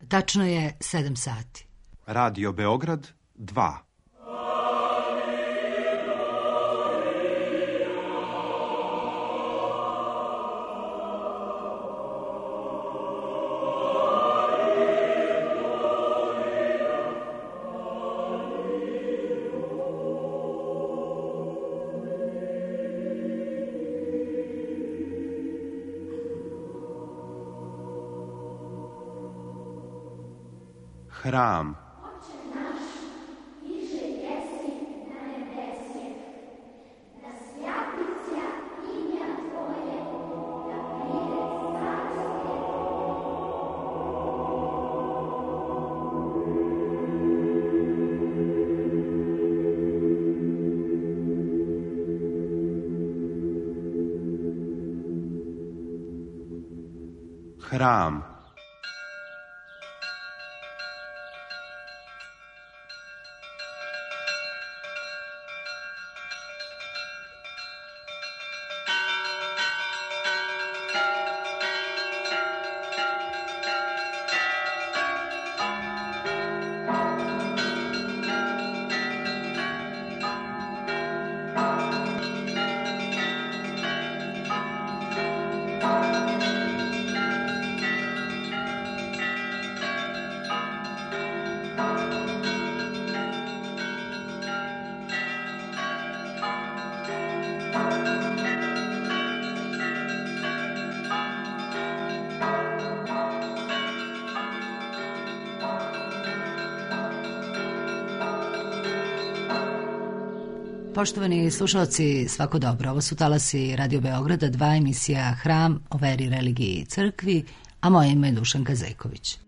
Tačno je 7 sati. Radio Beograd 2. Hram. Hram. Poštovani slušalci, svako dobro. Ovo su talasi Radio Beograda 2, emisija Hram o veri, religiji i crkvi, a moje ime je Dušanka Zejković.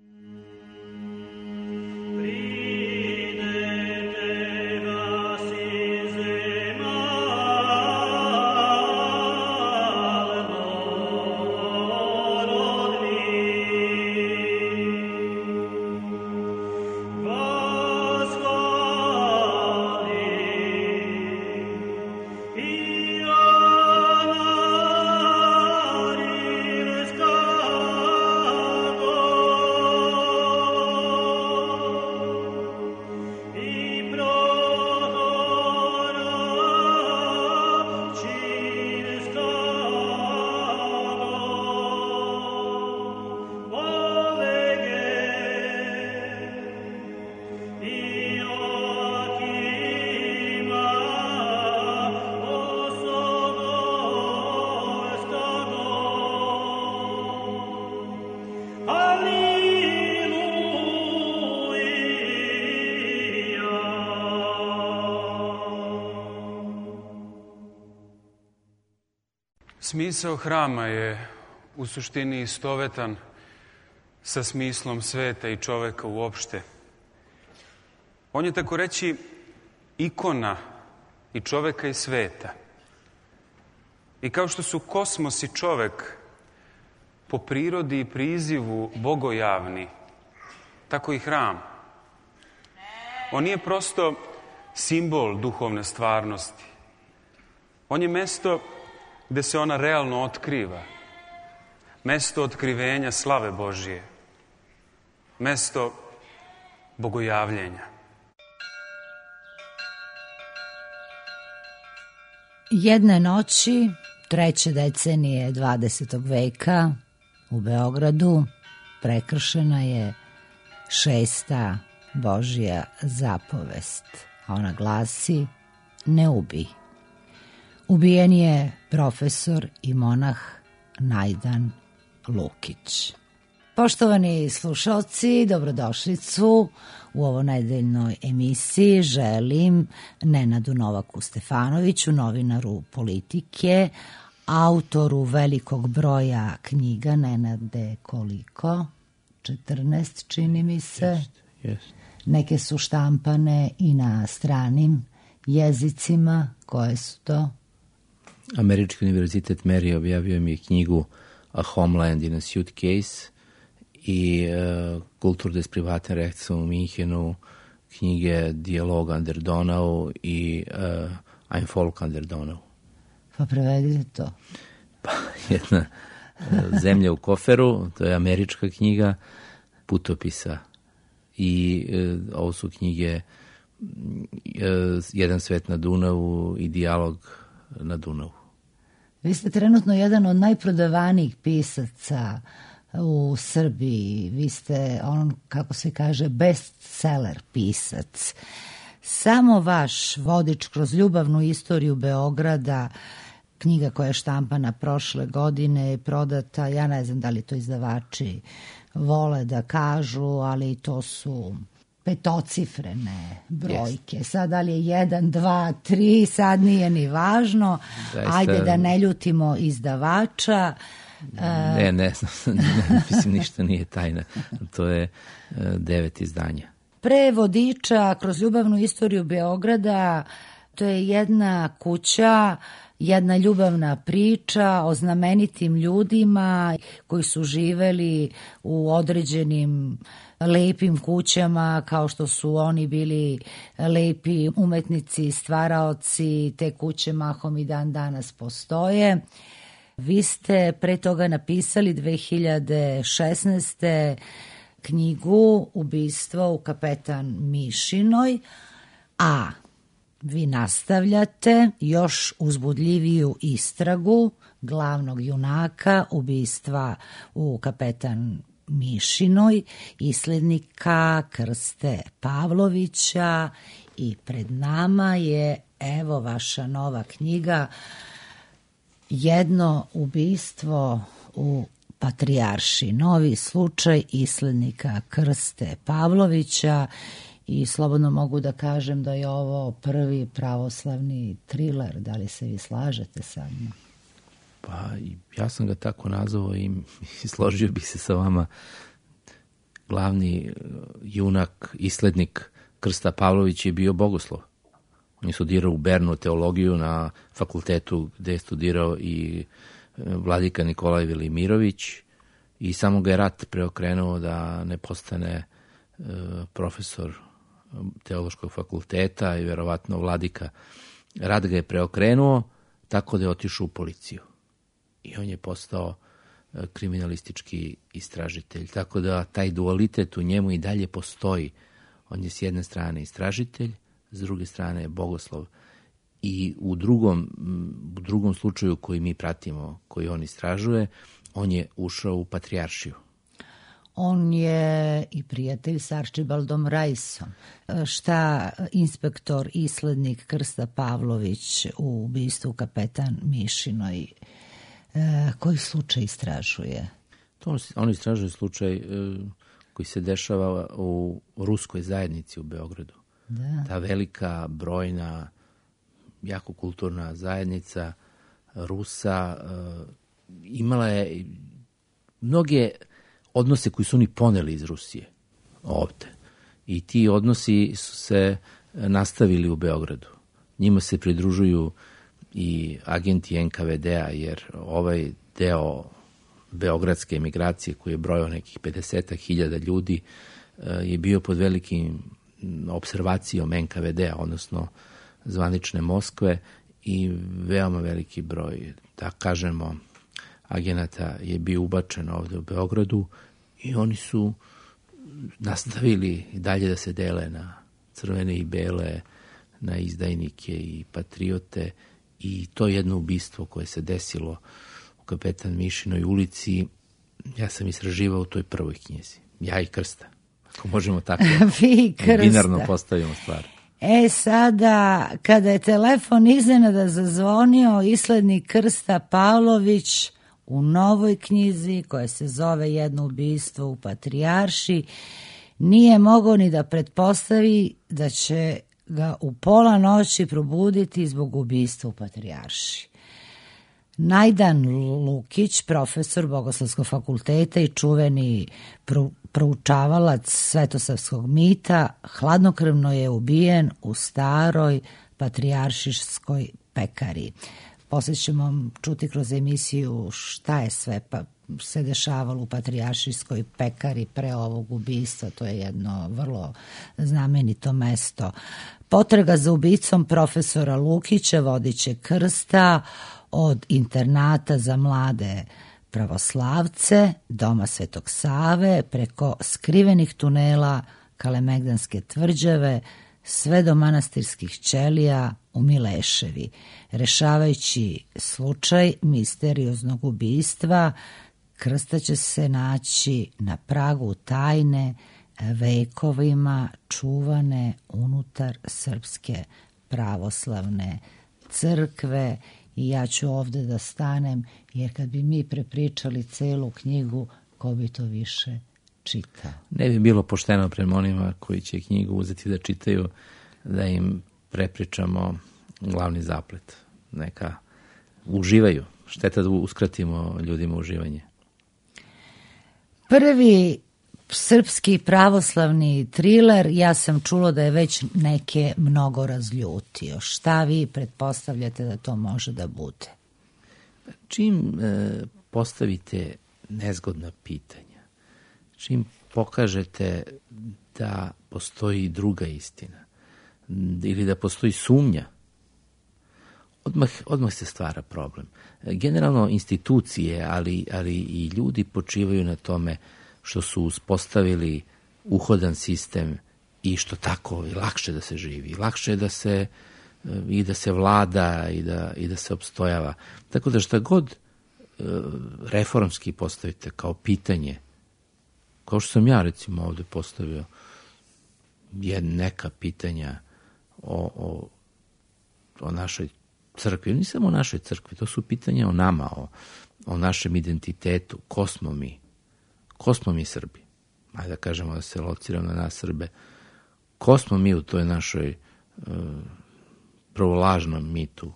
Smisao hrama je u suštini istovetan sa smislom sveta i čoveka uopšte. On je tako reći ikona i čoveka i sveta. I kao što su kosmos i čovek po prirodi i prizivu bogojavni, tako i hram. On nije prosto simbol duhovne stvarnosti. On je mesto gde se ona realno otkriva. Mesto otkrivenja slave Božije. Mesto bogojavljenja. Jedne noći, 3. decenije 20. veka, u Beogradu prekršena je 6. Božja zapovest. A ona glasi: ne ubij. Ubijen je profesor i monah Najdan Lukić. Poštovani slušalci, dobrodošlicu u ovo nedeljnoj emisiji. Želim Nenadu Novaku Stefanoviću, novinaru Politike, autoru velikog broja knjiga. Nenade, koliko? 14, čini mi se. Jest. Neke su štampane i na stranim jezicima. Koje su to? Američki univerzitet Mary objavio mi knjigu A Homeland in a Suitcase i Kultur des privaten Rechts u Minhenu, knjige Dialog an der Donau i Ein Volk an der Donau. Pa prevedite to. Pa jedna zemlja u koferu, to je američka knjiga, putopisa i ovo su knjige Jedan svet na Dunavu i Dijalog na Dunavu. Vi ste trenutno jedan od najprodavanijih pisaca u Srbiji. Vi ste kako se kaže, bestseller pisac. Samo vaš vodič kroz ljubavnu istoriju Beograda, knjiga koja je štampana prošle godine, je prodata, ja ne znam da li to izdavači vole da kažu, ali to su petocifrene brojke. Yes. Sad da li je 1, 2, 3, sad nije ni važno. Zaista, ajde da ne ljutimo izdavača. Ne, mislim, ništa nije tajna. To je 9 izdanja. Pre vodiča kroz ljubavnu istoriju Beograda, to je jedna kuća, jedna ljubavna priča o znamenitim ljudima koji su živeli u određenim lepim kućama, kao što su oni bili lepi umetnici, stvaraoci. Te kuće mahom i dan danas postoje. Vi ste pre toga napisali 2016. knjigu Ubistvo u Kapetan Mišinoj, a vi nastavljate još uzbudljiviju istragu glavnog junaka ubistva u Kapetan Mišinoj, islednika Krste Pavlovića, i pred nama je evo vaša nova knjiga Jedno ubistvo u Patrijarši, novi slučaj islednika Krste Pavlovića, i slobodno mogu da kažem da je ovo prvi pravoslavni triler. Da li se vi slažete sa mnom? Pa ja sam ga tako nazvao i složio bih se sa vama. Glavni junak, islednik Krsta Pavlović je bio bogoslov. On je studirao u Bernu teologiju na fakultetu gde je studirao i vladika Nikolaj Velimirović, i samo ga je rat preokrenuo da ne postane profesor teološkog fakulteta i verovatno vladika. Rat ga je preokrenuo tako da je otišao u policiju. I on je postao kriminalistički istražitelj. Tako da taj dualitet u njemu i dalje postoji. On je s jedne strane istražitelj, s druge strane je bogoslov. I u drugom slučaju koji mi pratimo, koji on istražuje, on je ušao u Patrijaršiju. On je i prijatelj s Arčibaldom Rajsom. Šta inspektor islednik Krsta Pavlović u ubistvu Kapetan Mišinoj, koji slučaj istražuje? On istražuje slučaj koji se dešava u ruskoj zajednici u Beogradu. Da. Ta velika, brojna, jako kulturna zajednica Rusa imala je mnoge odnose koji su oni poneli iz Rusije ovde. I ti odnosi su se nastavili u Beogradu. Njima se pridružuju i agenti NKVD-a, jer ovaj deo beogradske emigracije koji je brojao nekih 50.000 ljudi je bio pod velikim observacijom NKVD-a, odnosno zvanične Moskve, i veoma veliki broj, da kažemo, agenata je bio ubačen ovde u Beogradu, i oni su nastavili i dalje da se dele na crvene i bele, na izdajnike i patriote, i to jedno ubistvo koje se desilo u Kapetan Mišinoj ulici, ja sam istraživao u toj prvoj knjizi. Ja i Krsta. Ako možemo tako binarno postavimo stvar. Sada, kada je telefon iznenada zazvonio, islednik Krsta Pavlović u novoj knjizi koja se zove Jedno ubistvo u Patrijarši nije mogao ni da pretpostavi da će ga u pola noći probuditi zbog ubistva u Patrijarši. Najdan Lukić, profesor Bogoslovskog fakulteta i čuveni proučavalac svetosavskog mita, hladnokrvno je ubijen u staroj patrijaršijskoj pekari. Poslije ćemo čuti kroz emisiju šta je sve se dešavalo u patrijaršijskoj pekari pre ovog ubistva. To je jedno vrlo znamenito mesto. Potraga za ubicom profesora Lukića vodit će Krsta od internata za mlade pravoslavce, doma Svetog Save, preko skrivenih tunela Kalemegdanske tvrđave, sve do manastirskih ćelija u Mileševi, rešavajući slučaj misterioznog ubistva. Krsta će se naći na pragu tajne, vekovima čuvane unutar Srpske pravoslavne crkve. I ja ću ovde da stanem, jer kad bi mi prepričali celu knjigu, ko bi to više čitao? Ne bi bilo pošteno prema onima koji će knjigu uzeti da čitaju, da im prepričamo glavni zaplet. Neka uživaju. Šteta da uskratimo ljudima uživanje. Prvi srpski pravoslavni triler, ja sam čulo da je već neke mnogo razljutio. Šta vi pretpostavljate da to može da bude? Čim postavite nezgodna pitanja, čim pokažete da postoji druga istina ili da postoji sumnja, odmah se stvara problem. Generalno institucije, ali i ljudi počivaju na tome što su uspostavili uhodan sistem i što tako je lakše da se živi, lakše je da se vlada i da se opstojava. Tako da šta god reformski postavite kao pitanje, kao što sam ja recimo ovde postavio neka pitanja o našoj crkvi, ne samo o našoj crkvi, to su pitanja o nama, o našem identitetu, ko smo mi Srbi, ajde da kažemo da se lociramo na nas Srbe, ko smo mi u toj našoj prvo lažnom mitu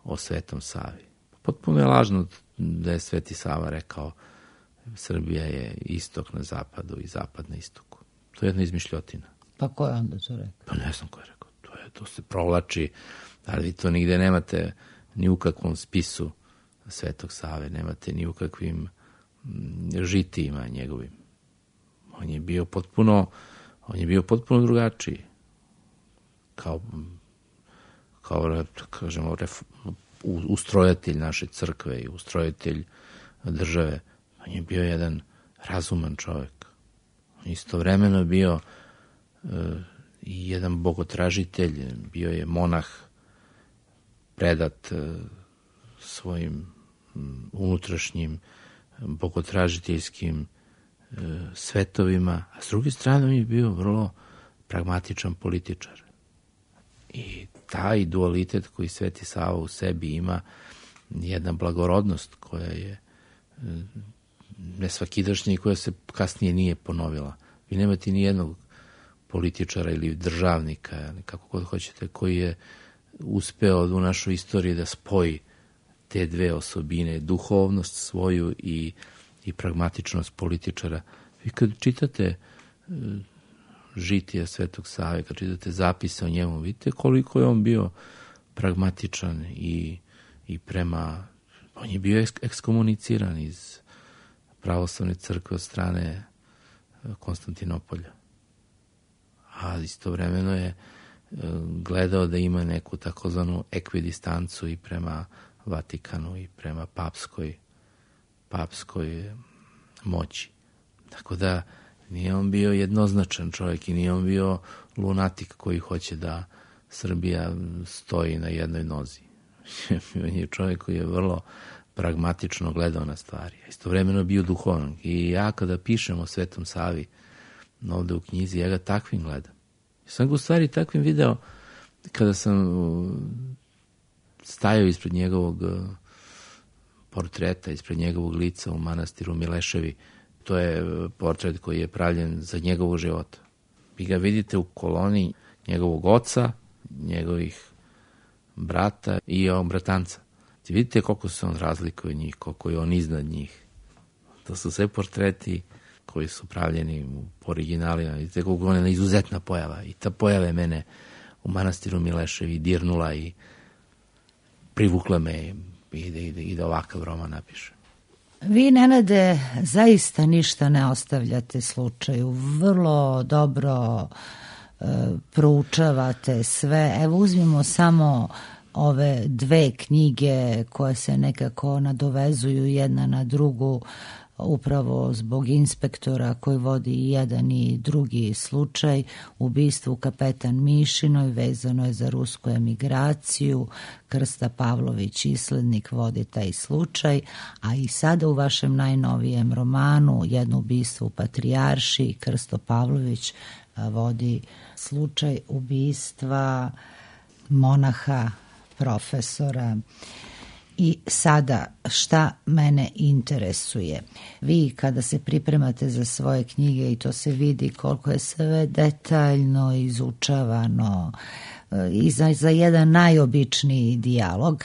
o Svetom Savi. Potpuno je lažno da je Sveti Sava rekao Srbija je istok na zapadu i zapad na istoku. To je jedna izmišljotina. Pa ko je onda to rekao? Pa ne znam ko je rekao. To se provlači, ali vi to nigde nemate ni u kakvom spisu Svetog Save, nemate ni u kakvim žitijima njegovim. On je bio potpuno drugačiji. Kao kažemo, ustrojatelj naše crkve i ustrojatelj države. On je bio jedan razuman čovjek. Istovremeno bio i jedan bogotražitelj, bio je monah predat svojim unutrašnjim bogotražiteljskim svetovima, a s druge strane on je bio vrlo pragmatičan političar. I taj dualitet koji Sveti Sava u sebi ima, jedna blagorodnost koja je nesvakidašnja i koja se kasnije nije ponovila. Vi nemate ni jednog političara ili državnika, kako god hoćete, koji je uspeo u našoj istoriji da spoji te dve osobine, duhovnost svoju i pragmatičnost političara. Vi kad čitate žitija Svetog Save, kad čitate zapise o njemu, vidite koliko je on bio pragmatičan i prema... On je bio ekskomuniciran iz pravoslavne crkve od strane Konstantinopolja. A istovremeno je gledao da ima neku takozvanu ekvidistancu i prema Vatikanu i prema papskoj moći. Tako da nije on bio jednoznačan čovjek i nije on bio lunatik koji hoće da Srbija stoji na jednoj nozi. On je čovjek koji je vrlo pragmatično gledao na stvari. Istovremeno bio duhovan. I ja kada pišem o Svetom Savi ovde u knjizi, ja ga takvim gledam. Ja sam ga u stvari takvim video kada sam stajao ispred njegovog portreta, ispred njegovog lica u manastiru Mileševi. To je portret koji je pravljen za njegovog života. Vi ga vidite u koloni njegovog oca, njegovih brata i bratanca. Vidite koliko se on razlikuje od njih, koliko je on iznad njih. To su sve portreti koji su pravljeni po originalima. Vidite koliko je ona izuzetna pojava. I ta pojava je mene u manastiru Mileševi dirnula i privukla me i da ovakav roman napišem. Vi, Nenade, zaista ništa ne ostavljate slučaju. Vrlo dobro proučavate sve. Evo, uzmimo samo ove dve knjige koje se nekako nadovezuju jedna na drugu, upravo zbog inspektora koji vodi i jedan i drugi slučaj, ubistvo u Kapetan Mišinoj, vezano je za rusku emigraciju, Krsta Pavlović, islednik, vodi taj slučaj, a i sada u vašem najnovijem romanu Jedno ubistvo u Patrijaršiji, Krsto Pavlović vodi slučaj ubistva monaha, profesora. I sada, šta mene interesuje? Vi kada se pripremate za svoje knjige, i to se vidi koliko je sve detaljno izučavano i za jedan najobičniji dijalog,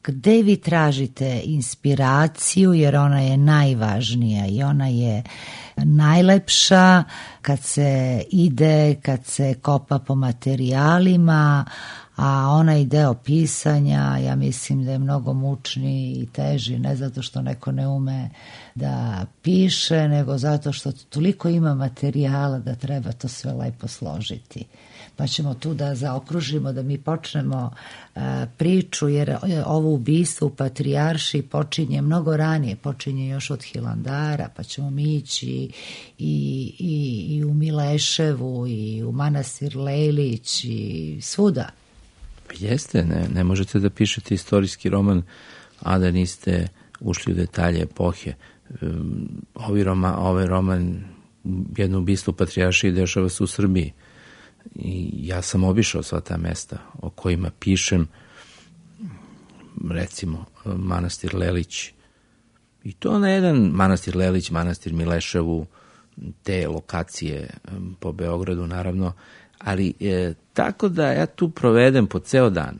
gde vi tražite inspiraciju, jer ona je najvažnija i ona je najlepša kad se ide, kad se kopa po materijalima, a onaj deo pisanja, ja mislim da je mnogo mučniji i teži, ne zato što neko ne ume da piše, nego zato što toliko ima materijala da treba to sve lepo složiti. Pa ćemo tu da zaokružimo, da mi počnemo priču, jer ovo ubistvo u Patrijaršiji počinje mnogo ranije, počinje još od Hilandara, pa ćemo mi ići i u Mileševu, i u manastir Lejlić, i svuda. Jeste, ne možete da pišete istorijski roman, a da niste ušli u detalje epohe. Ovaj roman Jedno ubistvo u Patrijaršiji dešava se u Srbiji. I ja sam obišao sva ta mesta o kojima pišem, recimo manastir Lelić, i to na jedan manastir Lelić, manastir Mileševu, te lokacije po Beogradu naravno, ali tako da ja tu provedem po ceo dan.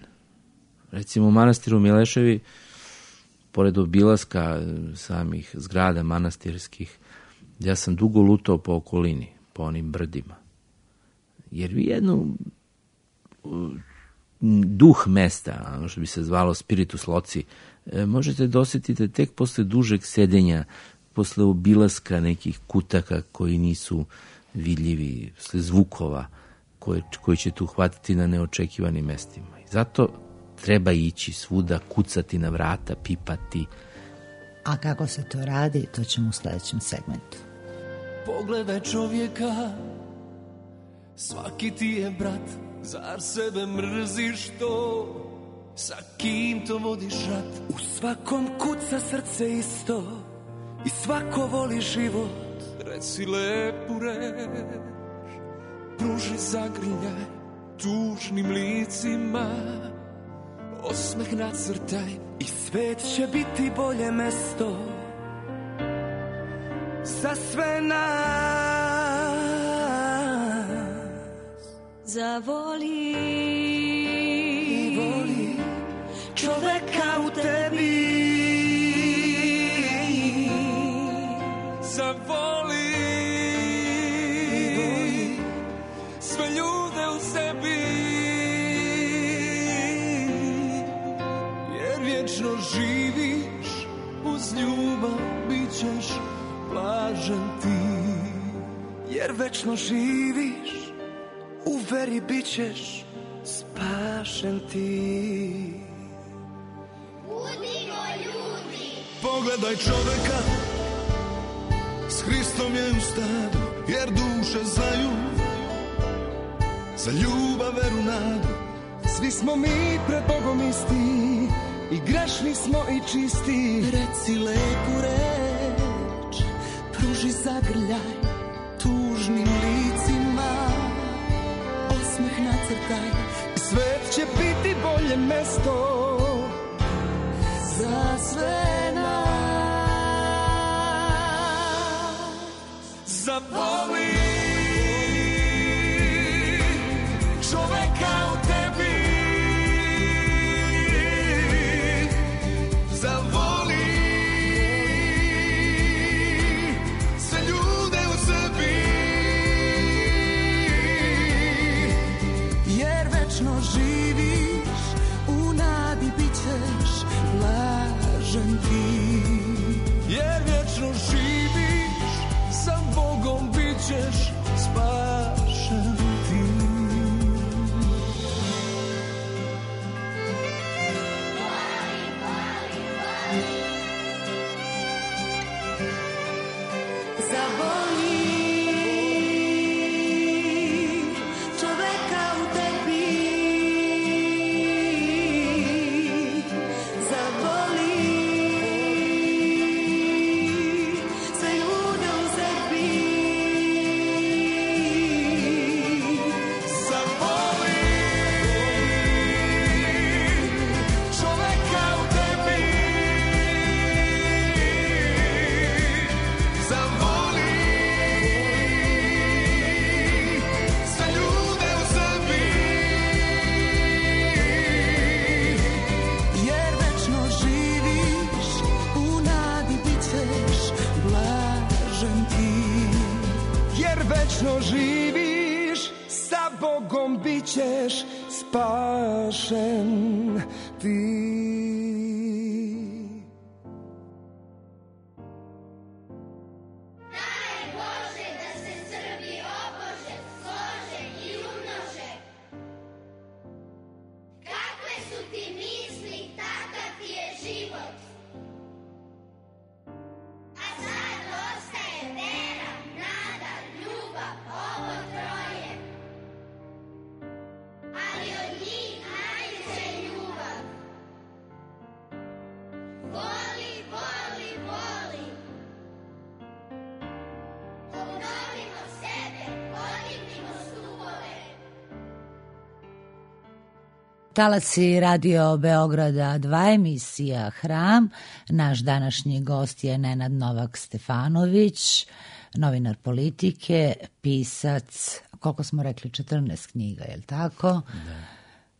Recimo u manastiru Mileševi, pored obilaska samih zgrada manastirskih, ja sam dugo lutao po okolini, po onim brdima. Jer vi jednu duh mesta, ono što bi se zvalo spiritus loci, možete da osjetite tek posle dužeg sedenja, posle obilaska nekih kutaka koji nisu vidljivi, posle zvukova koji ćete uhvatiti na neočekivanim mestima. I zato treba ići svuda, kucati na vrata, pipati. A kako se to radi, to ćemo u sledećem segmentu. Pogledaj čovjeka, svaki ti je brat, zar sebe mrziš to? Sa kim to vodiš rat? U svakom kuca srce isto i svako voli život. Reci lepu reč, pruži zagrljaj tužnim licima, osmeh nacrtaj i svet će biti bolje mesto za sve nas. Zavoli I voli čoveka u tebi, zavoli I voli sve ljude u sebi, jer vječno živiš uz ljubav, bit ćeš blažen ti. jer večno živiš, u veri bit ćeš spašen ti. Pogledaj čoveka, s Hristom je u stadu, jer duše znaju za ljubav, veru, nadu. Svi smo mi pred Bogom isti, i grešni smo i čisti. Reci lepu reč, Pruži zagrljaj tužnim licima, osmeh nacrtaj, svet će biti bolje mesto za sve nas. zavoli čoveka u tebi, zavoli sve ljude u sebi, Jer večno živiš, u nadi bit ćeš blažen ti. jer vječno živiš, sa Bogom bit ćeš spašen ti. večno živiš, sa Bogom bit ćeš spašen ti. Talasi Radio Beograda 2, emisija Hram. Naš današnji gost je Nenad Novak Stefanović, novinar politike, pisac, koliko smo rekli, 14 knjiga, je li tako? Da.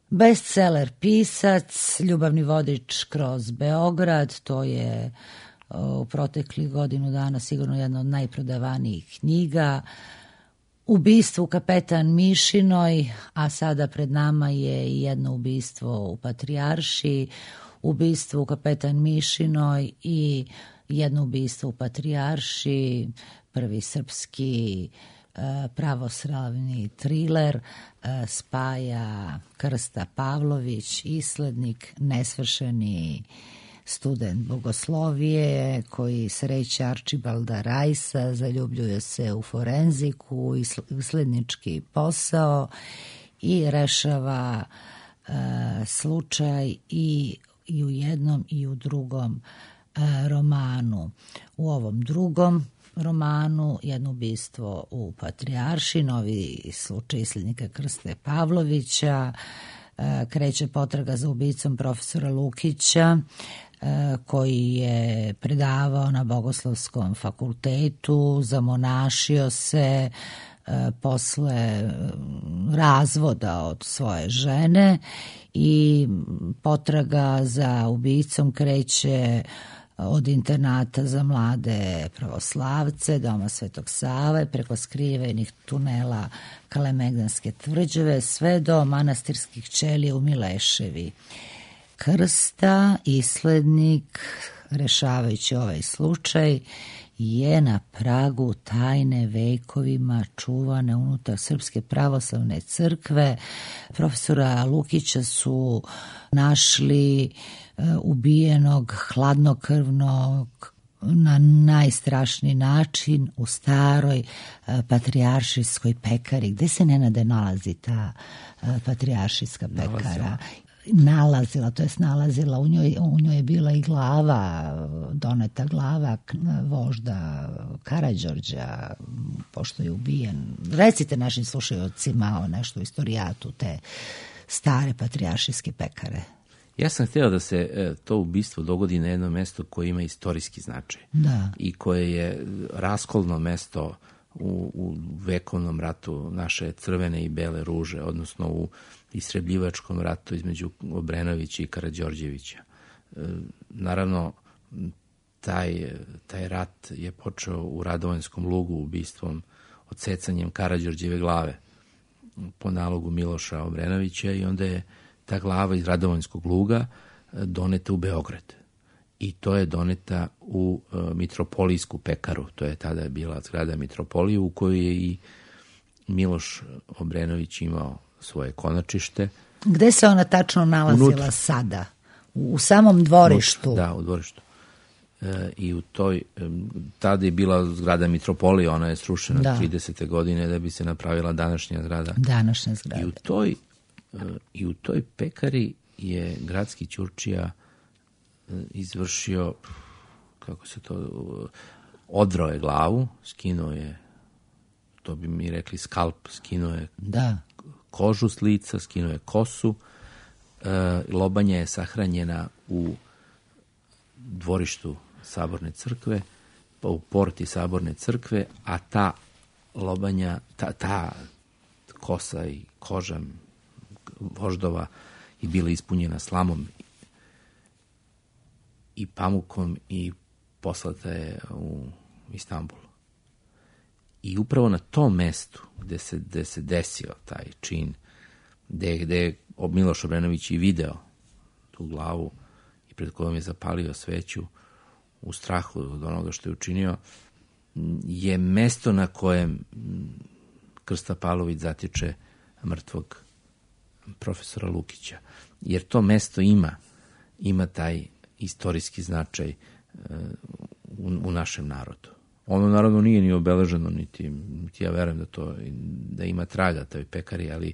Bestseller pisac, ljubavni vodič kroz Beograd, to je u proteklih godinu dana sigurno jedna od najprodavanijih knjiga. Ubistvo u Kapetan Mišinoj, a sada pred nama je i jedno ubistvo u Patrijaršiji, ubistvo u Kapetan Mišinoj i jedno ubistvo u Patrijaršiji, prvi srpski pravoslavni triler, spaja Krsta Pavlović, islednik, nesvršeni student bogoslovije koji sreće Arčibalda Rajsa, zaljubljuje se u forenziku, islednički posao i rešava slučaj i u jednom i u drugom romanu. U ovom drugom romanu jedno ubistvo u Patrijaršiji, novi slučaj islednika Krste Pavlovića, kreće potraga za ubicom profesora Lukića, koji je predavao na Bogoslovskom fakultetu, zamonašio se posle razvoda od svoje žene i potraga za ubicom kreće od internata za mlade pravoslavce, Doma Svetog Save, preko skrivenih tunela Kalemegdanske tvrđave, sve do manastirskih ćelija u Mileševi. Krsta, islednik, rešavajući ovaj slučaj, je na pragu tajne vekovima čuvane unutar Srpske pravoslavne crkve. Profesora Lukića su našli ubijenog, hladnokrvnog, na najstrašniji način u staroj patrijaršijskoj pekari. Gde se, Nenade, nalazi ta patrijaršijska pekara? Nalazila, u njoj je bila i glava, doneta glava vožda Karađorđa, pošto je ubijen. Recite našim slušajocima nešto o istorijatu te stare patrijaršijske pekare. Ja sam htio da se to ubistvo dogodi na jedno mesto koje ima istorijski značaj. Da. I koje je raskolno mesto u vekovnom ratu naše Crvene i Bele ruže, odnosno u istrebljivačkom ratu između Obrenovića i Karađorđevića. Naravno, taj rat je počeo u Radovanjskom lugu ubistvom, odsecanjem Karađorđeve glave po nalogu Miloša Obrenovića i onda je ta glava iz Radovanjskog luga doneta u Beograd. I to je doneta u Mitropolijsku pekaru. To je tada bila zgrada Mitropolije u kojoj je i Miloš Obrenović imao svoje konačište. Gde se ona tačno nalazila sada? U samom dvorištu? Da, u dvorištu. I u toj, tada je bila zgrada Mitropolije, ona je srušena 30. godine da bi se napravila današnja zgrada. Današnja zgrada. I u toj pekari je gradski ćurčija izvršio, kako se to, odrao je glavu, skinuo je, to bi mi rekli skalp, skinuo je kožu s lica, skinuo je kosu, lobanja je sahranjena u dvorištu Saborne crkve, pa u porti Saborne crkve, a ta lobanja, ta kosa i koža voždova je bila ispunjena slamom i pamukom i poslata je u Istanbul. I upravo na tom mestu gde se desio taj čin, gde je Miloš Obrenović i video tu glavu i pred kojom je zapalio sveću u strahu od onoga što je učinio, je mesto na kojem Krsta Pavlović zatiče mrtvog profesora Lukića. Jer to mesto ima taj istorijski značaj u našem narodu. Ono naravno nije ni obeleženo, niti ja verujem da ima traga toj pekari, ali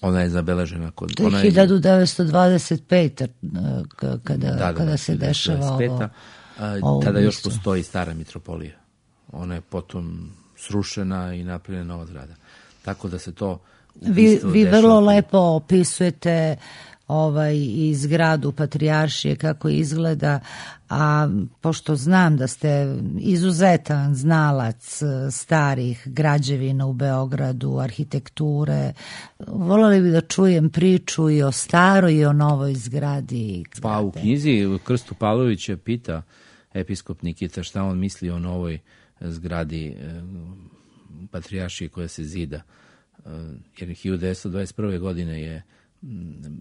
ona je zabeležena kod... To je 1925. kada se dešava ovo. Tada još postoji stara mitropolija. Ona je potom srušena i napravljena nova zgrada. Tako da se to... Vi vrlo lepo opisujete i zgradu Patrijaršije kako izgleda, a pošto znam da ste izuzetan znalac starih građevina u Beogradu, arhitekture, voljeli bi da čujem priču i o staroj i o novoj zgradi. Pa u knjizi Krstu Pavlovića pita episkop Nikita šta on misli o novoj zgradi Patrijaršije koja se zida. Jer 1921. godine je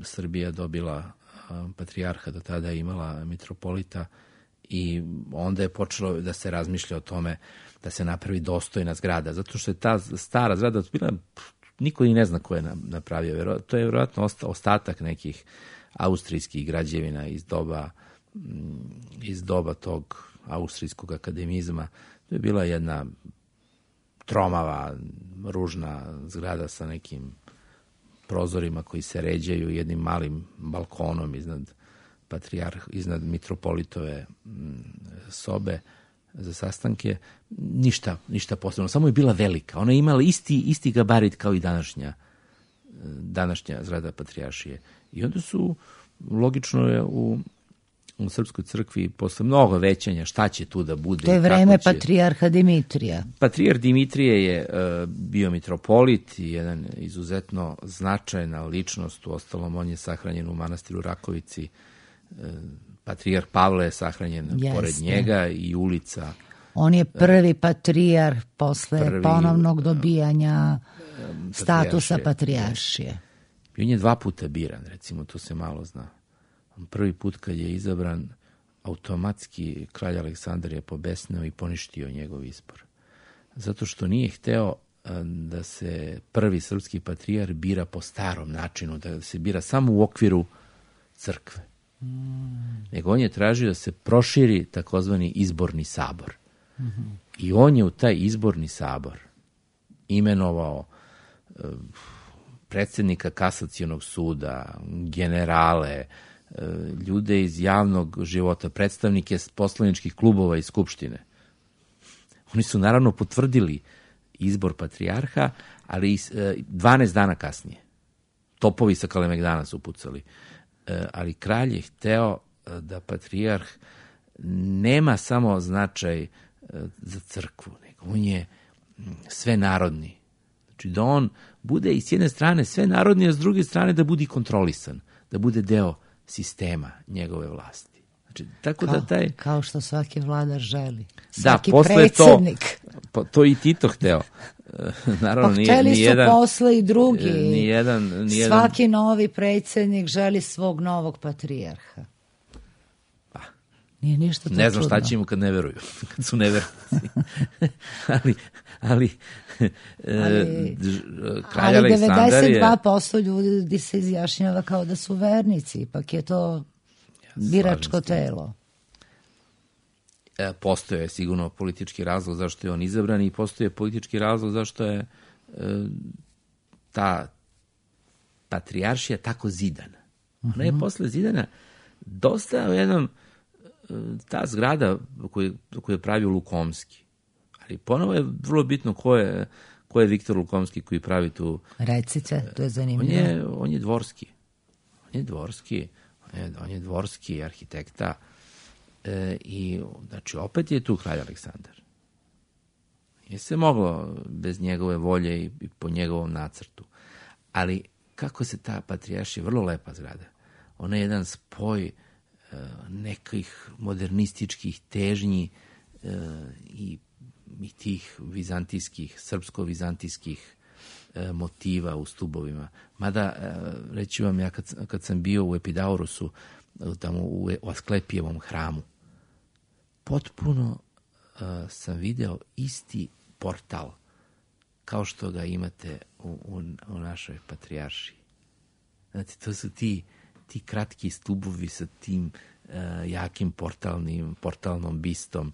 Srbija dobila patrijarha, do tada je imala mitropolita i onda je počelo da se razmišlja o tome da se napravi dostojna zgrada, zato što je ta stara zgrada bila, niko i ne zna ko je napravio. To je vjerojatno ostatak nekih austrijskih građevina iz doba tog austrijskog akademizma. To je bila jedna tromava, ružna zgrada sa nekim prozorima koji se ređaju, jednim malim balkonom iznad mitropolitove sobe za sastanke. Ništa posebno, samo je bila velika. Ona je imala isti gabarit kao i današnja zgrada Patrijaršije. I onda su, logično je u Srpskoj crkvi posle mnogo većanja šta će tu da bude. To je vreme Patrijarha Dimitrija. Patrijarh Dimitrije je bio mitropolit i jedan izuzetno značajna ličnost, uostalom on je sahranjen u manastiru Rakovici. Patrijarh Pavle je sahranjen pored njega i ulica. On je prvi patrijarh posle ponovnog dobijanja statusa Patrijaršije. I on je 2 puta biran, recimo, to se malo zna. Prvi put kad je izabran, automatski kralj Aleksandar je pobesneo i poništio njegov izbor. Zato što nije hteo da se prvi srpski patrijarh bira po starom načinu, da se bira samo u okviru crkve. Nego on je tražio da se proširi takozvani izborni sabor. I on je u taj izborni sabor imenovao predsjednika kasacionog suda, generale, ljude iz javnog života, predstavnike poslaničkih klubova i skupštine. Oni su naravno potvrdili izbor patrijarha, ali 12 dana kasnije. Topovi sa Kalemegdana su pucali. Ali kralj je hteo da patrijarh nema samo značaj za crkvu, nego on je svenarodni. Znači da on bude i s jedne strane svenarodni, a s druge strane da bude kontrolisan, da bude deo sistema njegove vlasti. Znači, tako kao što svaki vladar želi. Svaki predsjednik. To i Tito hteo. Naravno, hteli su posle i drugi. Nijedan. Svaki novi predsjednik želi svog novog patrijarha. Nije ništa to čudno. Ne znam šta će im kad ne veruju, kad su nevernici. ali kralj Aleksandar je... 92% ljudi se izjašnjava kao da su vernici, ipak je to biračko telo. Postoje je sigurno politički razlog zašto je on izabran i postoje politički razlog zašto je ta patrijaršija tako zidana. Ona je posle zidana dosta u jednom, ta zgrada koju je pravio Lukomski. Ali ponovo je vrlo bitno ko je Viktor Lukomski koji pravi tu... Recite, to je zanimljivo. On je dvorski. On je dvorski arhitekta i znači opet je tu kralj Aleksandar. Je se moglo bez njegove volje i po njegovom nacrtu. Ali kako se ta patrijaršija, vrlo lepa zgrada, ona je jedan spoj nekih modernističkih težnji i i tih vizantijskih, srpsko-vizantijskih motiva u stubovima. Mada, reći vam, ja kad sam bio u Epidaurusu, tamo u Asklepijevom hramu, potpuno sam video isti portal kao što ga imate u našoj patrijaršiji. Znate, to su ti kratki stubovi sa tim jakim portalnom bistom.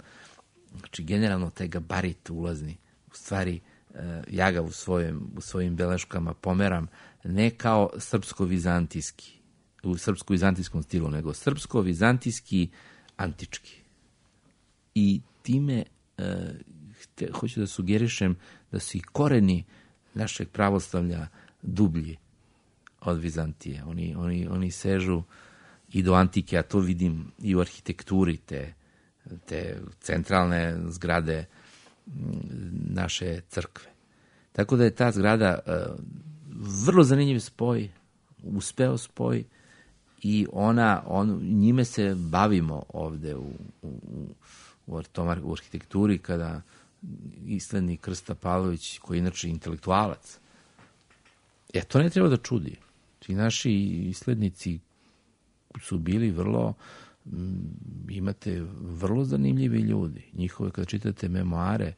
Znači, generalno taj gabarit ulazni. U stvari, ja ga u svojim beleškama pomeram ne kao srpsko-vizantijski, u srpsko-vizantijskom stilu, nego srpsko-vizantijski antički. I time hoću da sugerišem da su i koreni našeg pravoslavlja dublji od Vizantije. Oni sežu i do antike, a to vidim i u arhitekturi te centralne zgrade naše crkve. Tako da je ta zgrada vrlo zanimljiv spoj, uspeo spoj, i njime se bavimo ovde u arhitekturi, kada islednik Krsta Pavlović, koji je inače intelektualac, to ne treba da čudi. Ti naši islednici su bili imate vrlo zanimljivi ljudi. Njihove, kada čitate memoare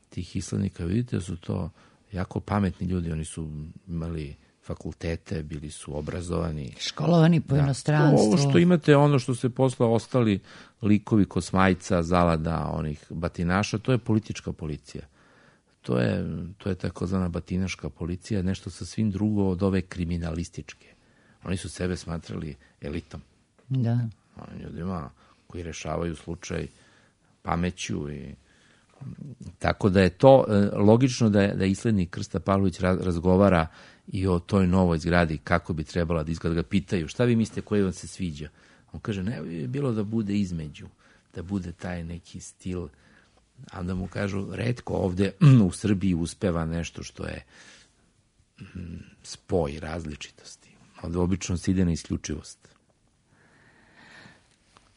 tih islednika, vidite da su to jako pametni ljudi. Oni su imali fakultete, bili su obrazovani. Školovani po inostranstvu. Ovo što imate, ono što se posle ostali likovi Kosmajca, Zalada, onih batinaša, to je politička policija. To je takozvana batinaška policija, nešto sasvim drugo od ove kriminalističke. Oni su sebe smatrali elitom. Da. Ljudima koji rešavaju slučaj pameću i tako da je to logično da islednik Krsta Pavlović razgovara i o toj novoj zgradi, kako bi trebala da izgleda. Ga pitaju, šta vi mislite, koji vam se sviđa? On kaže, ne bi bilo da bude između, da bude taj neki stil, a onda mu kažu, retko ovde u Srbiji uspeva nešto što je spoj različitosti. Ovde obično se ide na isključivost.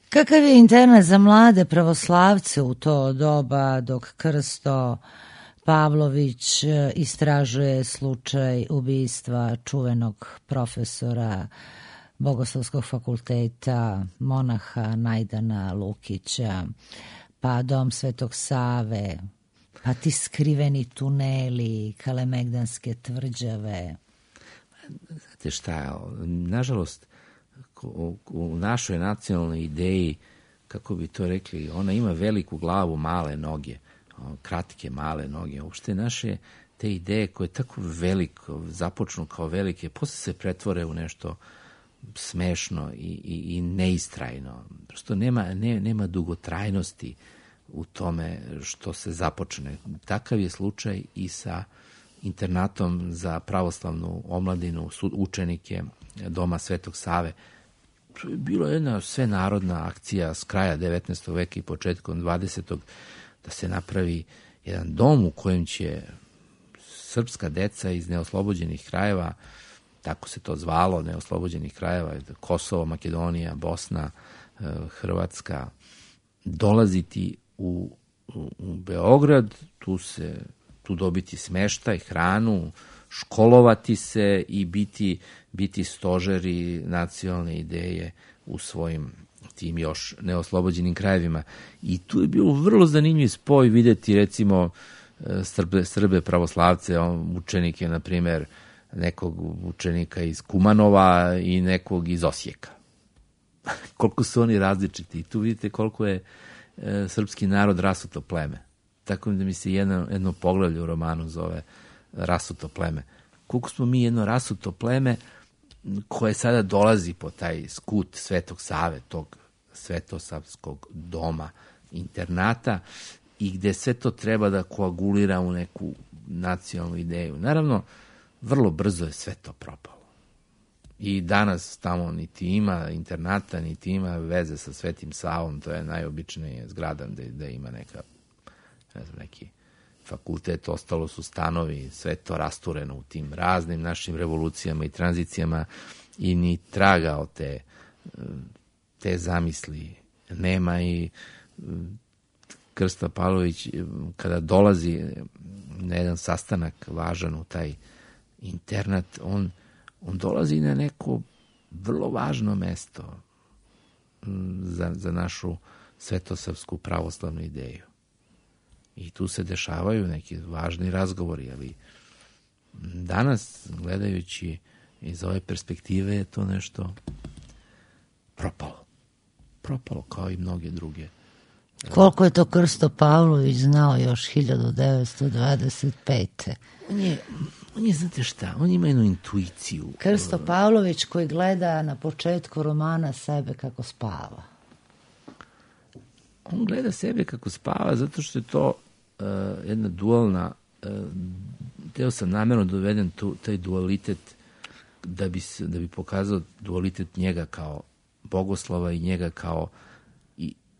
Kakav je internat za mlade pravoslavce u to doba dok Krsto Pavlović istražuje slučaj ubistva čuvenog profesora Bogoslovskog fakulteta, monaha Najdana Lukića, pa dom Svetog Save, pa ti skriveni tuneli, Kalemegdanske tvrđave? Znate šta, nažalost, u našoj nacionalnoj ideji, kako bi to rekli, ona ima veliku glavu, male noge, kratke, male noge. Uopšte naše te ideje koje tako veliko, započnu kao velike, posle se pretvore u nešto smešno i neistrajno. Prosto nema dugotrajnosti u tome što se započne. Takav je slučaj i sa internatom za pravoslavnu omladinu, učenike doma Svetog Save. Bilo je jedna svenarodna akcija s kraja 19. veka i početkom 20. da se napravi jedan dom u kojem će srpska deca iz neoslobođenih krajeva, tako se to zvalo, neoslobođenih krajeva, Kosovo, Makedonija, Bosna, Hrvatska, dolaziti u Beograd, tu dobiti smeštaj, hranu, školovati se i biti stožeri nacionalne ideje u svojim tim još neoslobođenim krajevima. I tu je bilo vrlo zanimljiv spoj videti, recimo, Srbe pravoslavce, učenike, na primjer, nekog učenika iz Kumanova i nekog iz Osijeka. Koliko su oni različiti. I tu vidite koliko je srpski narod rasuto pleme. Tako da mi se jedno poglavlje u romanu zove Rasuto pleme. Koliko smo mi jedno rasuto pleme koje sada dolazi po taj skut Svetog Save, tog svetosavskog doma, internata, i gde sve to treba da koagulira u neku nacionalnu ideju. Naravno, vrlo brzo je sve to propalo. I danas tamo niti ima internata, niti ima veze sa Svetim Savom, to je najobičnija zgrada gde ima neki fakultet, ostalo su stanovi, sve to rastureno u tim raznim našim revolucijama i tranzicijama i ni traga od te zamisli nema. I Krsta Pavlović, kada dolazi na jedan sastanak važan u taj internat, on dolazi na neko vrlo važno mesto za našu svetosavsku pravoslavnu ideju. I tu se dešavaju neki važni razgovori, ali danas, gledajući iz ove perspektive, je to nešto propalo. Propalo, kao i mnoge druge. Koliko je to Krsto Pavlović znao još 1925. On je, znate šta, on ima jednu intuiciju. Krsto Pavlović koji gleda na početku romana sebe kako spava. On gleda sebe kako spava zato što je to jedna dualna, teo sam namjerno dovedem taj dualitet da bi pokazao dualitet njega kao bogoslova i njega kao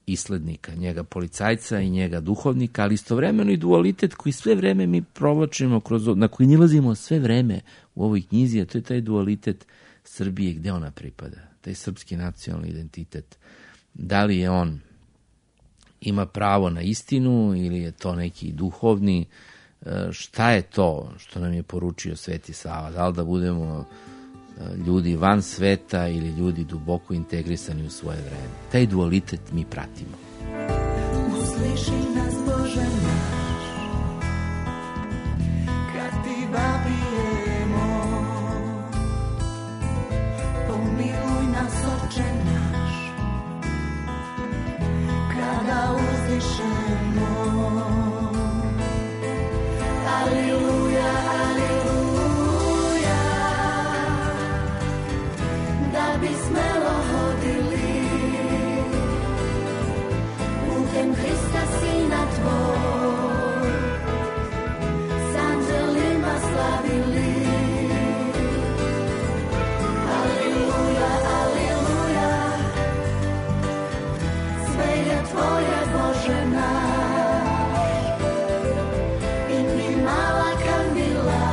islednika, njega policajca i njega duhovnika, ali istovremeno i dualitet koji sve vreme mi provlačimo, na koji nilazimo sve vreme u ovoj knjizi, a to je taj dualitet Srbije, gde ona pripada, taj srpski nacionalni identitet. Da li je on ima pravo na istinu ili je to neki duhovni, šta je to što nam je poručio Sveti Sava, da li da budemo ljudi van sveta ili ljudi duboko integrisani u svoje vreme. Taj dualitet mi pratimo. Usliši nas Bože naš, kad ti vapijemo, pomiluj nas Oče naš, kada uzdišemo. Aleluja, aleluja, da bi smelo hodili putem Hrista Sina Tvoj, s anđelima slavili. Aleluja, aleluja, sve je Tvoje Bože naš, i mi mala kandila,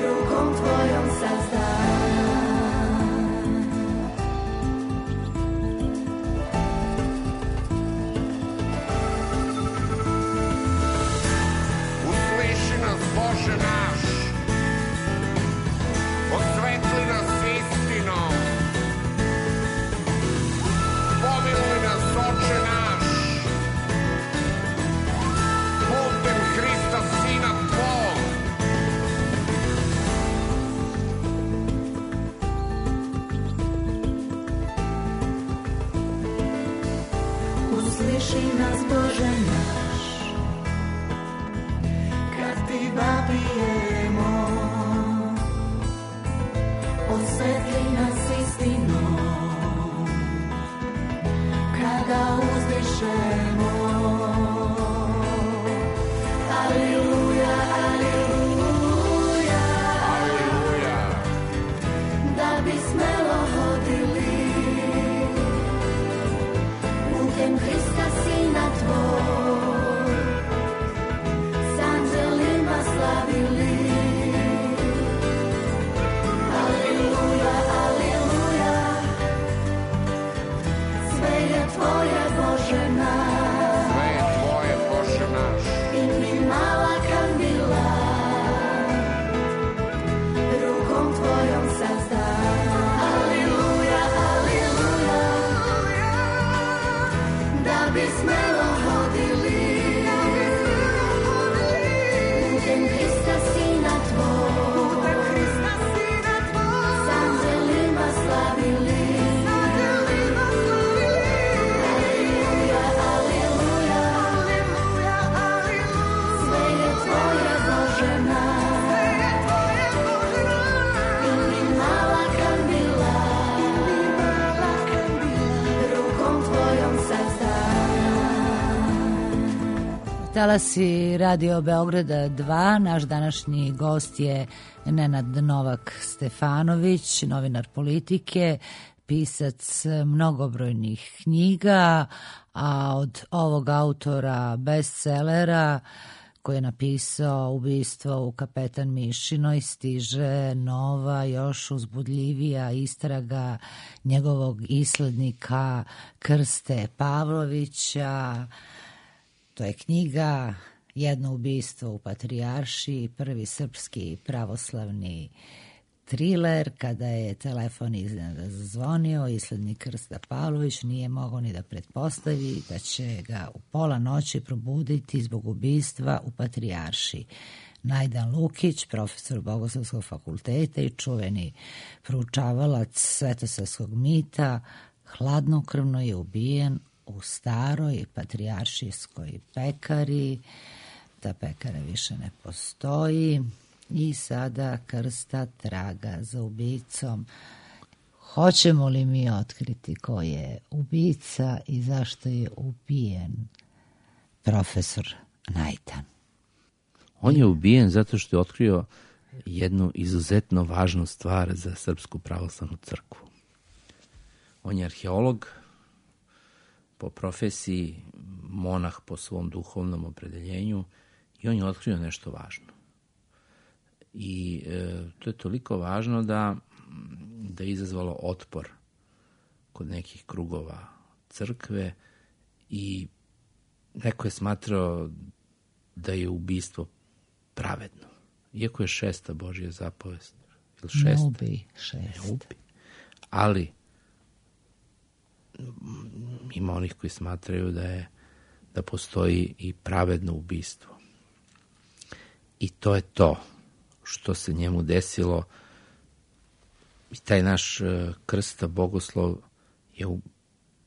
rukom Tvojom sazdan. Usliši nas Bože naš, osvetli nas istinom, pomiluj nas Oče naš, putem Hrista Sina Tvog. Usliši nas Bože naš, kad ti vapijemo, osvetli nas istinom, kada uzdišemo. Aleluja, aleluja, Aleluja, da bi smelo hodili putem Hrista Sina Tvoj, s anđelima slavili. Aleluja, aleluja, sve je Tvoje Bože naš, sve je Tvoje Bože naš, i mi mala kandila, rukom Tvojom sazdan. Aleluja, aleluja, da bi smelo hodili putem Hrista Sina Tvoj, s anđelima slavili. Aleluja, aleluja, sve je Tvoje Bože naš, i mi mala kandila, rukom Tvojom sazdan. Talasi Radio Beograda 2, naš današnji gost je Nenad Novak Stefanović, novinar Politike, pisac mnogobrojnih knjiga, a od ovog autora bestsellera koji je napisao Ubistvo u Kapetan Mišinoj, stiže nova, još uzbudljivija istraga njegovog islednika Krste Pavlovića. To je knjiga Jedno ubistvo u Patrijaršiji, prvi srpski pravoslavni triler. Kada je telefon iznenada zazvonio, islednik Krsta Pavlović nije mogao ni da pretpostavi da će ga u pola noći probuditi zbog ubistva u Patrijaršiji. Najdan Lukić, profesor Bogoslovskog fakulteta i čuveni proučavalac svetosavskog mita, hladnokrvno je ubijen u staroj patrijaršijskoj pekari. Ta pekara više ne postoji i sada Krsta traga za ubicom. Hoćemo li mi otkriti ko je ubica i zašto je ubijen profesor Najdan? On je ubijen zato što je otkrio jednu izuzetno važnu stvar za Srpsku pravoslavnu crkvu. On je arheolog po profesiji, monah po svom duhovnom opredeljenju i on je otkrio nešto važno. I to je toliko važno da je izazvalo otpor kod nekih krugova crkve i neko je smatrao da je ubistvo pravedno. Iako je 6. Božja zapovest. Ne ubi 6. Ne ubi. Ali ima onih koji smatraju da postoji i pravedno ubistvo. I to je to što se njemu desilo. I taj naš Krsta Bogoslov je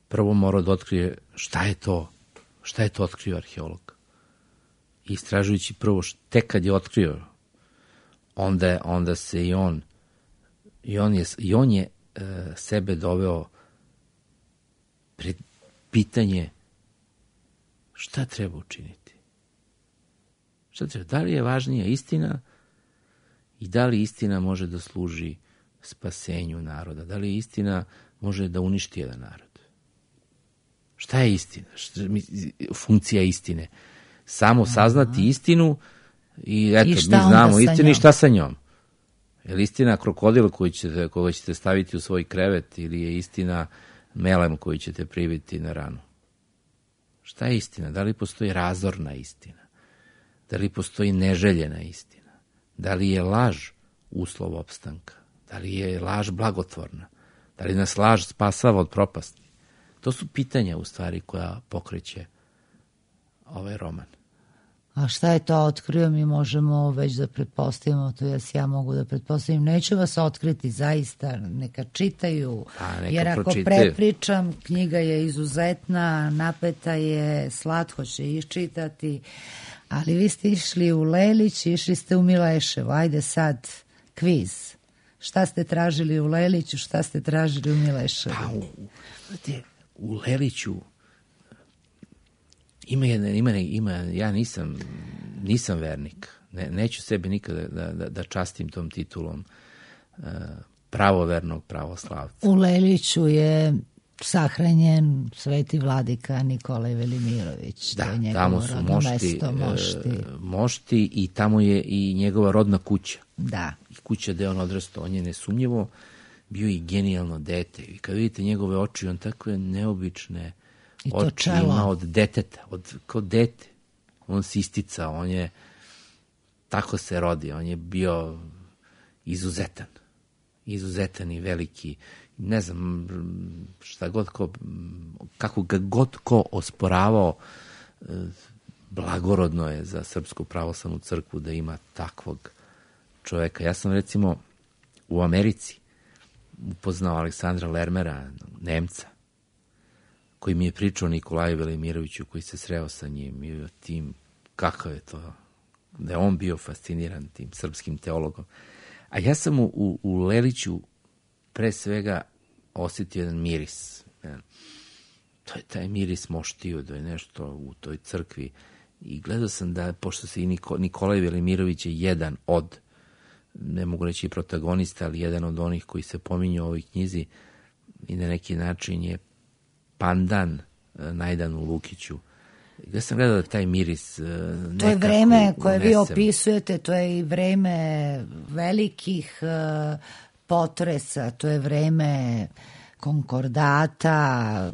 prvo morao da otkrije šta je to otkrio arheolog. I istražujući prvo tek kad je otkrio, onda se i on je sebe doveo pred pitanje šta treba učiniti. Šta treba? Da li je važnija istina i da li istina može da služi spasenju naroda? Da li istina može da uništi jedan narod? Šta je istina? Funkcija istine? Samo saznati istinu i eto, mi znamo istinu i šta sa njom. Je li istina krokodil koga ćete staviti u svoj krevet ili je istina melem koji ćete pribiti na ranu? Šta je istina? Da li postoji razorna istina? Da li postoji neželjena istina? Da li je laž uslov opstanka? Da li je laž blagotvorna? Da li nas laž spasava od propasti? To su pitanja u stvari koja pokreće ovaj roman. A šta je to otkrio, mi možemo već da pretpostavimo, to ja mogu da pretpostavim. Neću vas otkriti, zaista, neka čitaju, jer ako prepričam, knjiga je izuzetna, napeta je, slatko će iščitati, ali vi ste išli u Lelić, išli ste u Mileševo, ajde sad, kviz. Šta ste tražili u Leliću, šta ste tražili u Mileševu? U Leliću ja nisam vernik. Neću sebe nikada da častim tom titulom pravovernog pravoslavca. U Leliću je sahranjen sveti vladika Nikolaj Velimirović. Da, tamo su mošti i tamo je i njegova rodna kuća. Da. I kuća gde on odrastao. On je nesumnjivo bio i genijalno dete. I kad vidite njegove oči, on takve neobične oči ima od deteta, kao dete. On se isticao, on je tako se rodi, on je bio izuzetan i veliki. Ne znam šta god kako ga god ko osporavao, blagorodno je za Srpsku pravoslavnu crkvu da ima takvog čoveka. Ja sam recimo u Americi upoznao Aleksandra Lermera, Nemca, koji mi je pričao o Nikolaju Velimiroviću, koji se sreo sa njim i o tim, kakav je to, da je on bio fasciniran tim srpskim teologom. A ja sam u Leliću pre svega osjetio jedan miris. To je taj miris moštiju, da je nešto u toj crkvi. I gledao sam da, pošto se i Nikolaj Velimirović je jedan od, ne mogu reći protagonista, ali jedan od onih koji se pominju u ovoj knjizi i na neki način je pandan Najdanu Lukiću. Ja sam gledao da taj miris To je vreme koje vi opisujete, to je i vreme velikih potresa, to je vreme konkordata,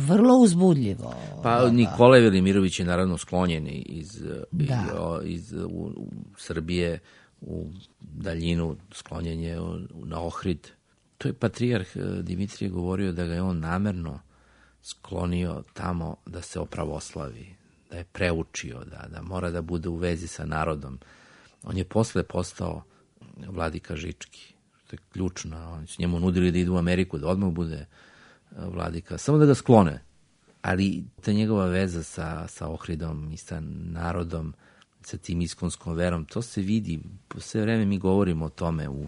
vrlo uzbudljivo. Pa Nikolaj Velimirović je naravno sklonjen iz Srbije u daljinu, sklonjen je na Ohrid. To je patrijarh Dimitrije govorio da ga je on namerno sklonio tamo da se opravoslavi, da je preučio, da mora da bude u vezi sa narodom. On je posle postao vladika Žički, što je ključno. Oni su njemu nudili da ide u Ameriku, da odmah bude vladika, samo da ga sklone. Ali ta njegova veza sa Ohridom i sa narodom, sa tim iskonskom verom, to se vidi. Po sve vreme mi govorimo o tome u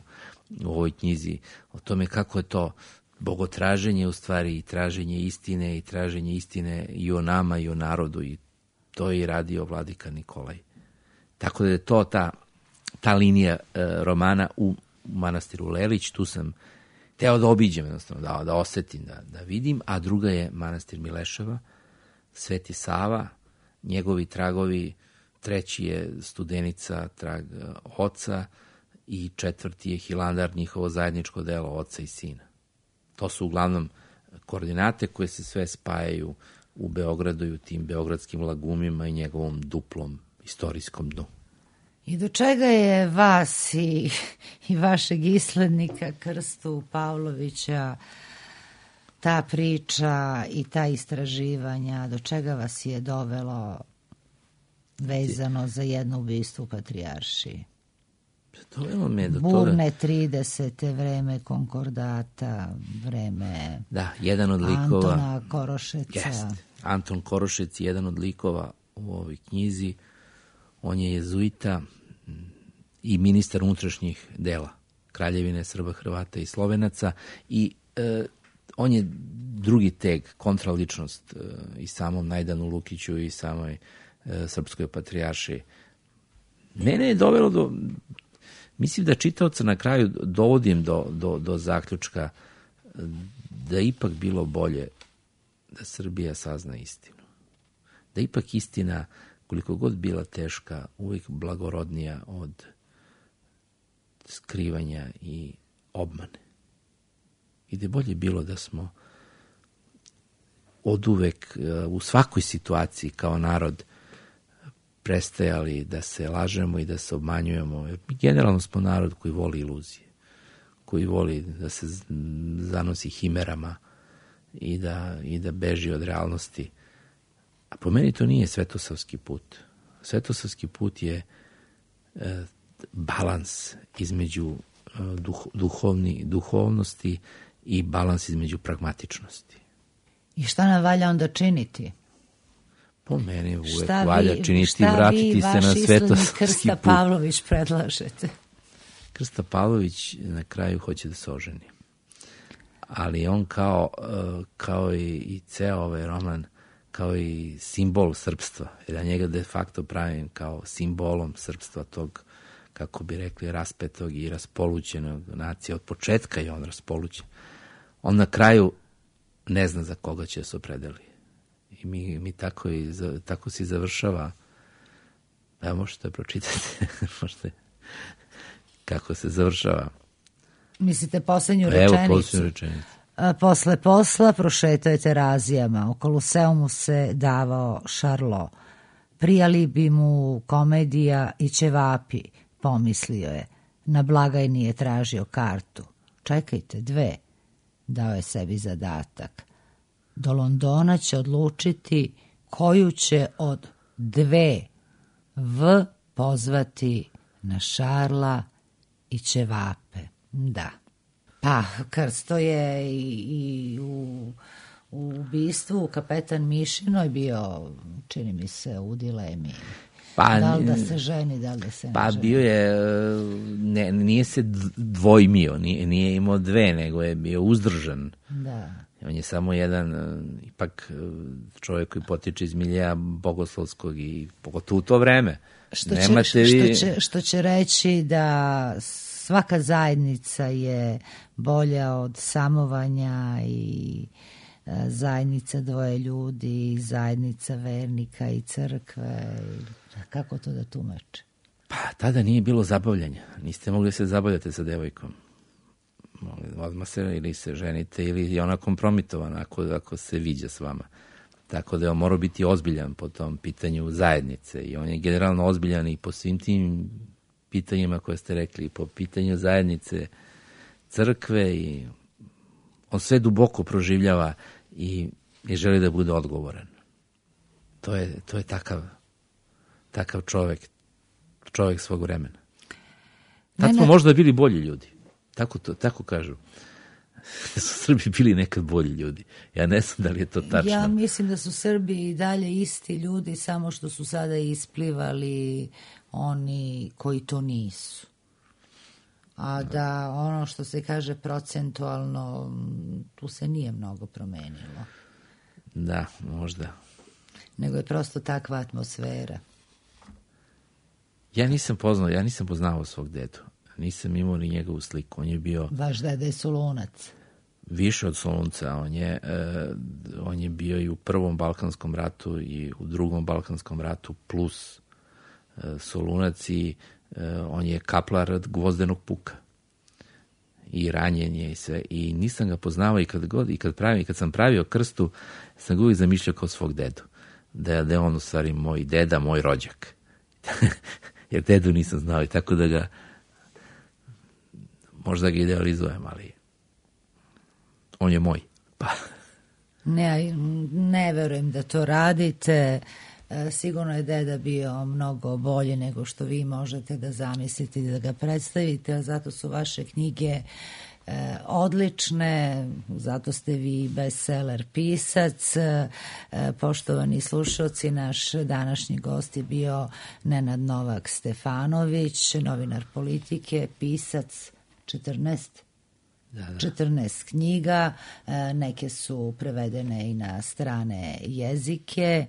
ovoj knjizi, o tome kako je to bogotraženje u stvari i traženje istine i o nama i o narodu, i to je i radio vladika Nikolaj. Tako da je to ta linija romana u manastiru Lelić. Tu sam teo da obiđem, jednostavno, da osetim, da vidim, a druga je manastir Mileševa, Sveti Sava, njegovi tragovi, treći je Studenica, trag oca, i četvrti je Hilandar, njihovo zajedničko delo oca i sina. To su uglavnom koordinate koje se sve spajaju u Beogradu i u tim beogradskim lagumima i njegovom duplom istorijskom dnu. I do čega je vas i vašeg islednika Krstu Pavlovića ta priča i ta istraživanja, do čega vas je dovelo vezano za jedno ubistvo u Patrijaršiji? Dovelo me do burne 30. vreme konkordata, vreme jedan od likova, Antona Korošeca. Anton Korošec je jedan od likova u ovoj knjizi. On je jezuita i ministar unutrašnjih dela Kraljevine Srba, Hrvata i Slovenaca, i on je drugi teg, kontraličnost i samom Najdanu Lukiću i samoj Srpskoj patrijaršiji. Mene je dovelo do... Mislim da čitaoca na kraju dovodim do zaključka da ipak bilo bolje da Srbija sazna istinu. Da ipak istina, koliko god bila teška, uvijek blagorodnija od skrivanja i obmane. I da je bolje bilo da smo oduvek u svakoj situaciji kao narod prestajali da se lažemo i da se obmanjujemo. Jer mi generalno smo narod koji voli iluzije, koji voli da se zanosi himerama i da beži od realnosti. A po meni to nije svetosavski put. Svetosavski put je balans između duhovnosti i balans između pragmatičnosti. I šta nam valja onda činiti? Po meni uvek valja činiti i vratiti se na svetosavski put. Krsta Pavlović predlažete? Krsta Pavlović na kraju hoće da se oženi. Ali on kao i ceo ovaj roman, kao i simbol srpstva, jer ja njega de facto pravim kao simbolom srpstva, tog, kako bi rekli, raspetog i raspolućenog nacije. Od početka je on raspolućen. On na kraju ne zna za koga će se opredeli. I mi tako se završava. Evo, možete pročitati kako se završava. Mislite poslednju rečenicu? Evo poslednju rečenicu. Posle posla prošetao je Terazijama. U Koloseumu se davao šarlo. Prijali bi mu komedija i ćevapi, pomislio je. Na blagajni je tražio kartu. Čekajte, 2. Dao je sebi zadatak. Do Londona će odlučiti koju će od 2 V pozvati na šarla i ćevape. Da. Pa, Krsto je i u ubistvu Kapetan Mišinoj bio, čini mi se, u dilemi. Da li da se ženi, da li da se ne ženi? Pa bio je, nije se dvojmio, nije imao 2, nego je bio uzdržan. Da. On je samo jedan, ipak čovjek koji potiče iz milija bogoslovskog i pogotovo u to vreme. Što će reći da svaka zajednica je bolja od samovanja i zajednica dvoje ljudi, zajednica vernika i crkve. Kako to da tumače? Pa, tada nije bilo zabavljanja. Niste mogli se zabavljati sa devojkom. Odmah se ili se ženite ili je ona kompromitovana ako se viđa s vama. Tako da je on morao biti ozbiljan po tom pitanju zajednice i on je generalno ozbiljan i po svim tim pitanjima koje ste rekli, i po pitanju zajednice crkve i on sve duboko proživljava i želi da bude odgovoran. To je takav čovjek svog vremena. Tad smo možda bili bolji ljudi. Tako kažu. Su Srbi bili nekad bolji ljudi. Ja ne znam da li je to tačno. Ja mislim da su Srbi i dalje isti ljudi, samo što su sada isplivali oni koji to nisu. A da ono što se kaže procentualno, tu se nije mnogo promenilo. Da, možda. Nego je prosto takva atmosfera. Ja nisam poznavao svog dedu. Nisam imao ni njegovu sliku. On je bio... Vaš deda je Solunac. Više od Solunca. On je bio i u Prvom Balkanskom ratu i u Drugom Balkanskom ratu plus Solunac i on je kaplar od Gvozdenog puka. I ranjen je i sve. I nisam ga poznavao i kad sam pravio krstu, sam ga uvijek zamišljao kao svog dedu. Da je on u stvari moj deda, moj rođak. Jer dedu nisam znao i tako da ga možda ga idealizujem, ali on je moj. Pa. Ne verujem da to radite. Sigurno je deda bio mnogo bolji nego što vi možete da zamislite i da ga predstavite, a zato su vaše knjige odlične, zato ste vi bestseller pisac. Poštovani slušalci, naš današnji gost je bio Nenad Novak Stefanović, novinar Politike, pisac 14 knjiga, neke su prevedene i na strane jezike.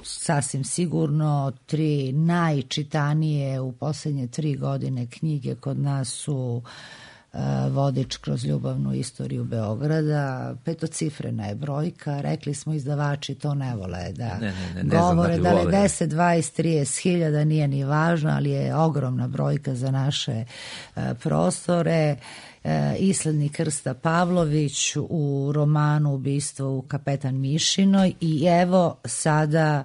Sasvim sigurno 3 najčitanije u posljednje 3 godine knjige kod nas su Vodič kroz ljubavnu istoriju Beograda, 5-cifrena je brojka, rekli smo izdavači to ne vole da govore, da li 10, 20, 30 hiljada nije ni važno, ali je ogromna brojka za naše prostore. Islednik Krsta Pavlović u romanu Ubistvo u Kapetan Mišinoj i evo sada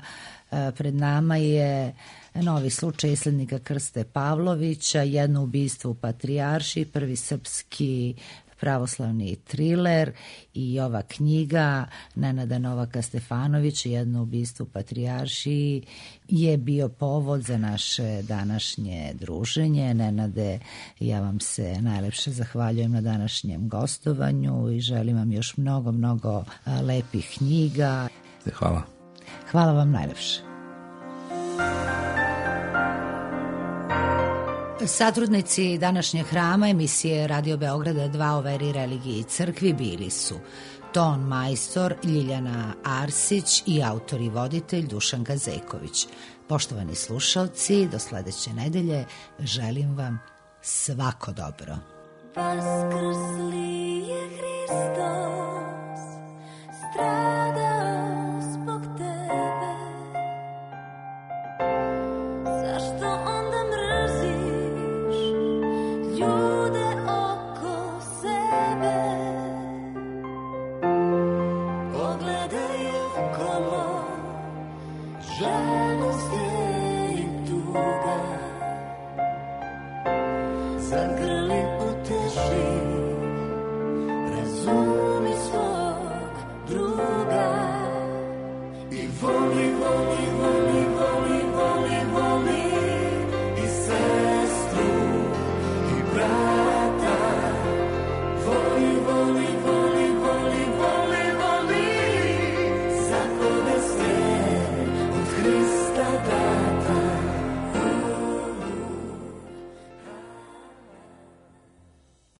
pred nama je novi slučaj islednika Krste Pavlovića, Jedno ubistvo u Patrijaršiji, prvi srpski pravoslavni triler i ova knjiga Nenada Novaka Stefanovića, Jedno ubistvo u Patrijaršiji, je bio povod za naše današnje druženje. Nenade, ja vam se najlepše zahvaljujem na današnjem gostovanju i želim vam još mnogo, mnogo lepih knjiga. Hvala. Hvala vam najlepše. Satrudnici današnjeg hrama emisije Radio Beograda 2 o veri, religiji i crkvi bili su ton majstor Ljiljana Arsić i autor i voditelj Dušan Gazeković. Poštovani slušalci, do sledeće nedelje želim vam svako dobro. Vaskrsli je Hristos,